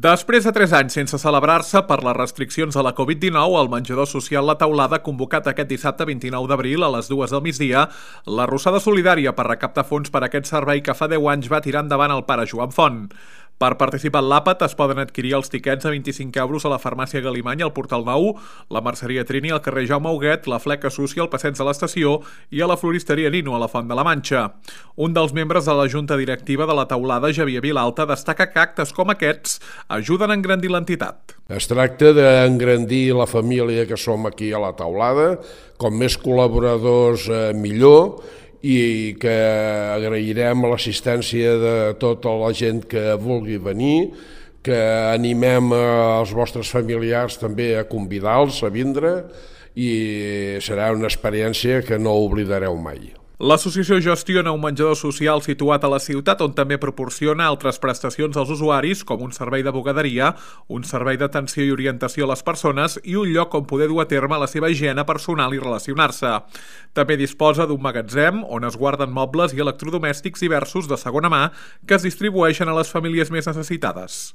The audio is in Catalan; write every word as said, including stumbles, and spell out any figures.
Després de tres anys sense celebrar-se per les restriccions a la Covid dinou, el menjador social La Teulada ha convocat aquest dissabte vint-i-nou d'abril a les dues del migdia l'arrossada solidària per recaptar fons per a aquest servei que fa deu anys va tirar endavant el pare Joan Font. Per participar en l'àpat es poden adquirir els tiquets a vint-i-cinc euros a la farmàcia Galimany al Portal Nou, la merceria Trini al carrer Jaume Huguet, la Fleca Sucia al passeig de l'Estació i a la floristeria Nino a la Font de la Manxa. Un dels membres de la junta directiva de La Teulada, Javier Vilalta, destaca que actes com aquests ajuden a engrandir l'entitat. Es tracta d'engrandir la família que som aquí a La Teulada, com més col·laboradors eh, millor, i que agrairem l'assistència de tota la gent que vulgui venir, que animem els vostres familiars també a convidar-los a vindre i serà una experiència que no oblidareu mai. L'associació gestiona un menjador social situat a la ciutat on també proporciona altres prestacions als usuaris com un servei de bugaderia, un servei d'atenció i orientació a les persones i un lloc on poder dur a terme la seva higiene personal i relacionar-se. També disposa d'un magatzem on es guarden mobles i electrodomèstics diversos de segona mà que es distribueixen a les famílies més necessitades.